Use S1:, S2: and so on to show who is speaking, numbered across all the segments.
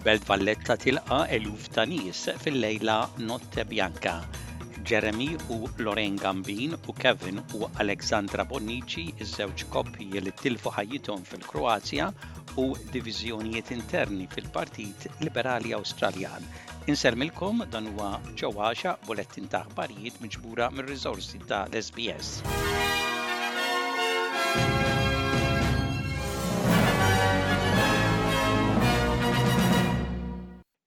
S1: Il-Belt Valletta tilqa' eluf ta' nies fil-lejla Notte Bianca. Jeremy u Lorraine Gambin u Kevin u Alexandra Bonnici, iż-żewġ koppji li tilfu ħajjithom fil-Kroazja u diviżjonijiet interni fil-Partit Liberali Awstraljan. Insellmilkom dan huwa Joe Għaxaq, bulettin ta' aħbarijiet miġbura mir-riżorsi ta' l-SBS.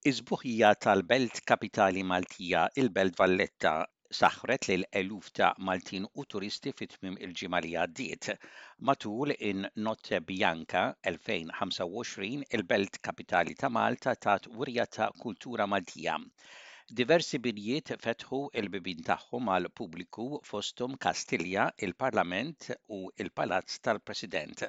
S1: Is-sbuħija tal-belt kapitali Maltija, il-Belt Valletta, saħħret lil eluf ta' Maltin u turisti fi tmiem il-ġimgħa li għaddiet. Matul in-Notte Bianca 2025, il-belt kapitali ta' Malta tat wirja ta' kultura Maltija. Diversi binjiet fetħu l-bibien tagħhom għall-pubbliku fosthom Kastilja, il-Parlament u l-Palazz tal-President.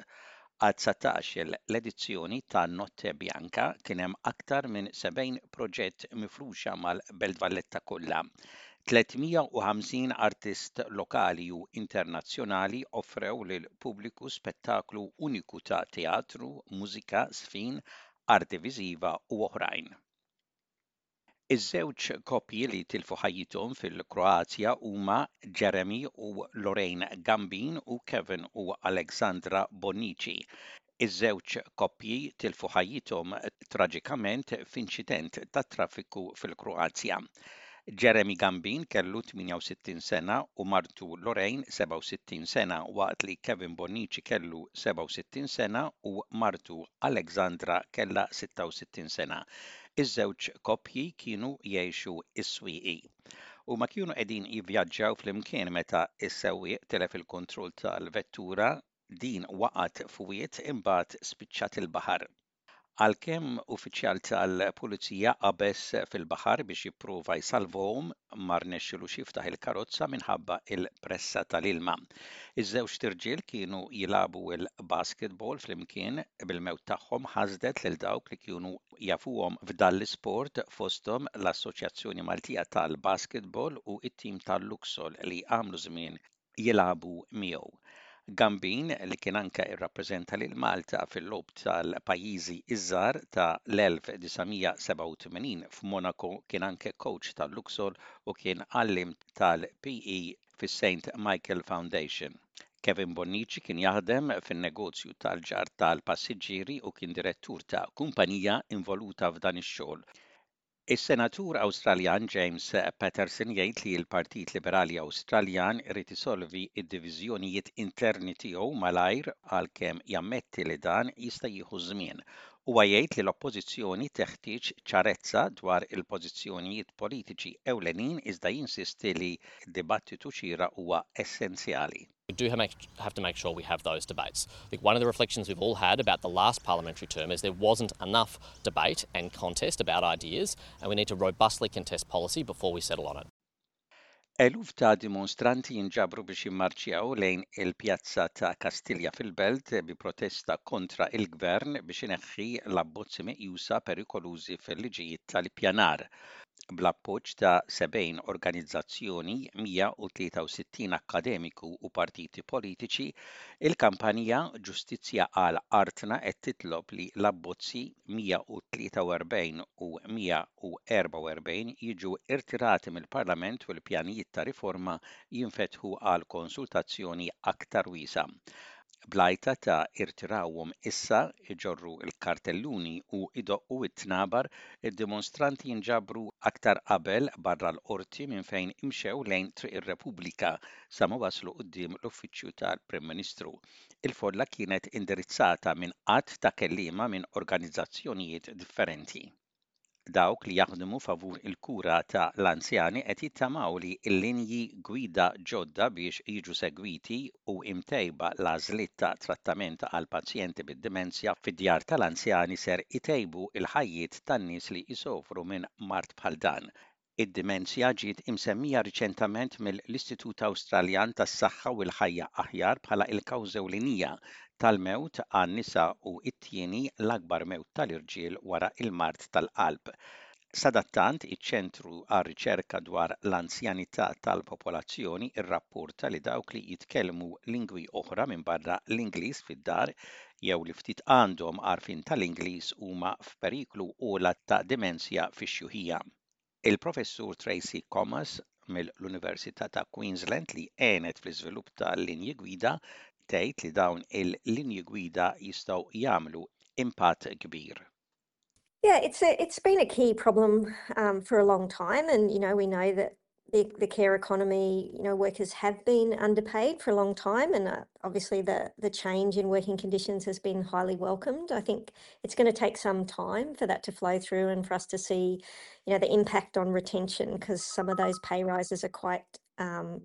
S1: Għad-dsatax-il l-edizzjoni ta' Notte Bianca kien hemm aktar minn 70 proġett mifruxa mal-Belt Valletta kollha. 350 artist lokali u internazzjonali offrew lill-pubbliku spettaklu uniku ta' teatru, mużika, żfin, arti viżiva u oħrajn. Iż-żewġ koppji li tilfu ħajjithom fil-Kroazja huma Jeremy u Lorraine Gambin u Kevin u Alexandra Bonnici. Iż-żewġ koppji tilfu ħajjithom traġikament f'inċident tat-traffiku fil-Kroazja. Jeremy Gambin kellu 68 sena u martu Lorraine 67 sena waqt li Kevin Bonnici kellu 67 sena u martu Alexandra kellha 66 sena. Iż-żewġ koppji kienu jgħixu s-Swieqi. Huma kienu qegħdin jivvjaġġaw flimkien meta s-sewwieq tilef il-kontroll tal-vettura, din waqgħet f'wied imbagħad spiċċat il-baħar. Għalkemm uffiċjal tal-Pulizija qabeż fil-baħar biex jipprova jsalvahom, ma rnexxilux jiftaħ il-karozza minħabba l-pressa tal-ilma. Iż-żewġt irġiel kienu jilagħbu l-basketball flimkien, bil-mewt tagħhom ħasdet lil dawk li kienu jafuhom f'dan l-isport fosthom l-Assoċjazzjoni Maltija tal-Basketball u t-tim tal-Luxol li għamlu żmien jilagħbu miegħu. Gambin, li kien anke rrappreżenta lil Malta fil-Logħob tal-Pajjiżi ż-Żgħar ta' l-1987 f'Monaco kien anke kowċ tal-Luxol u kien għalliem tal-PE fis-Saint Michael Foundation. Kevin Bonnici kien jaħdem fin-negozju tal-ġarr tal-passiġġieri u kien direttur ta' kumpanija involuta f'dan ix-xogħol. Is-Senatur Awstraljan James Paterson jgħid li l-Partit Liberali Awstraljan irid isolvi d-diviżjonijiet interni tiegħu malajr għalkemm jammetti li dan jista' jieħu ż-żmien. Huwa jgħid li l-Oppożizzjoni teħtieġ ċarezza dwar il-pożizzjonijiet politiċi ewlenin iżda jinsisti li dibattitu xieraq huwa essenzjali.
S2: We do have to make sure we have those debates. I think one of the reflections we've all had about the last parliamentary term is there wasn't enough debate and contest about ideas and we need to robustly contest policy before we settle on it.
S1: Eluf ta' dimonstranti jinġabru biex jimmarċjaw lejn il-Pjazza ta' Kastilja fil-Belt bi protesta kontra il-Gvern biex ineħħi l-abbozzi meqjusa perikolużi fil-liġijiet tal-ippjanar. Bl-appoġġ ta' 70 organizzazzjoni, 163 akkademiku u partiti politiċi, il-kampanja Ġustizzja għal Artna qed titlob li l-abbozzi 143 u 144 jiġu irtirati mill-Parlament u l-pjanijiet ta' riforma jinfetħu għal konsultazzjoni aktar wiesgħa. Bl-għajta ta' irtirawhom issa, iġorru l-kartelluni u jdoqqu t-tnabar, id-dimonstranti nġabru aktar qabel barra l-Qorti minn fejn imxew lejn Triq ir-Repubblika sa ma waslu quddiem l-Uffiċċju tal-Prim Ministru. Il-folla kienet indirizzata minn għadd ta' kelliema minn organizzazzjonijiet differenti. Dawk li jaħdmu favur il-kura ta' l-anzjani qed jittamaw li l-linji gwida ġodda biex jiġu segwiti u imtejba l-għażliet ta' trattament għal pazjenti bid-dimensja fid-djar tal-anzjani ser itejbu l-ħajjiet tan-nies li jsofru minn mard bħal dan. Id-dimensja ġiet imsemmija riċentament mill-Istitut Awstraljan tas-Saħħa u l-Ħajja Aħjar bħala l-kawża ewlenija tal-mewt għan-nisa u t-tieni l-akbar mewt tal-irġiel wara l-mard tal-qalb. Sadattant, iċ-Ċentru għar-Riċerka dwar l-Anzjanità tal-Popolazzjoni rrapporta li dawk li jitkellmu lingwi oħra minbarra l-Ingliż fid-dar. jew li ftit għandhom għarfien tal-Ingliż huma f'periklu ogħla ta' dimensja fix-xjuħija. Il-Professur Tracey Comas mill-Università ta' Queensland li għenet fl-iżvilupp tal-linji gwida tgħid li dawn il-linji gwida jistgħu jagħmlu impatt kbir.
S3: Yeah, it's a, it's been a key problem um, for a long time, and you know we know that the, the care economy, you know, workers have been underpaid for a long time, and uh, obviously the the change in working conditions has been highly welcomed. I think it's going to take some time for that to flow through and for us to see, you know, the impact on retention because some of those pay rises are quite um,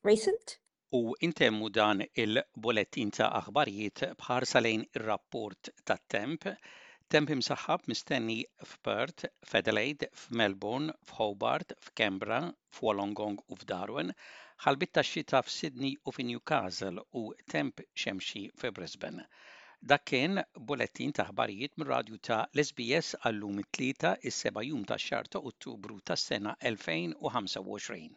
S3: recent.
S1: U intemmu dan il-bulettin ta' aħbarijiet b'ħarsa lejn ir-rapport tat-temp. Temp imsaħħab mistenni f'Perth, f'Adelaide, f'Melbourne, f'Hobart, f'Canberra, f'Wollongong u f'Darwin, ħalbiet tax-xita f'Sydney u fi Newcastle u temp xemxi fi Brisbane. Dak kien bulettin ta' aħbarijiet mir-radju ta' l-SBS għal-lum it-Tlieta, is-seba' jum tax-xahar ta' Ottubru tas-sena 2025.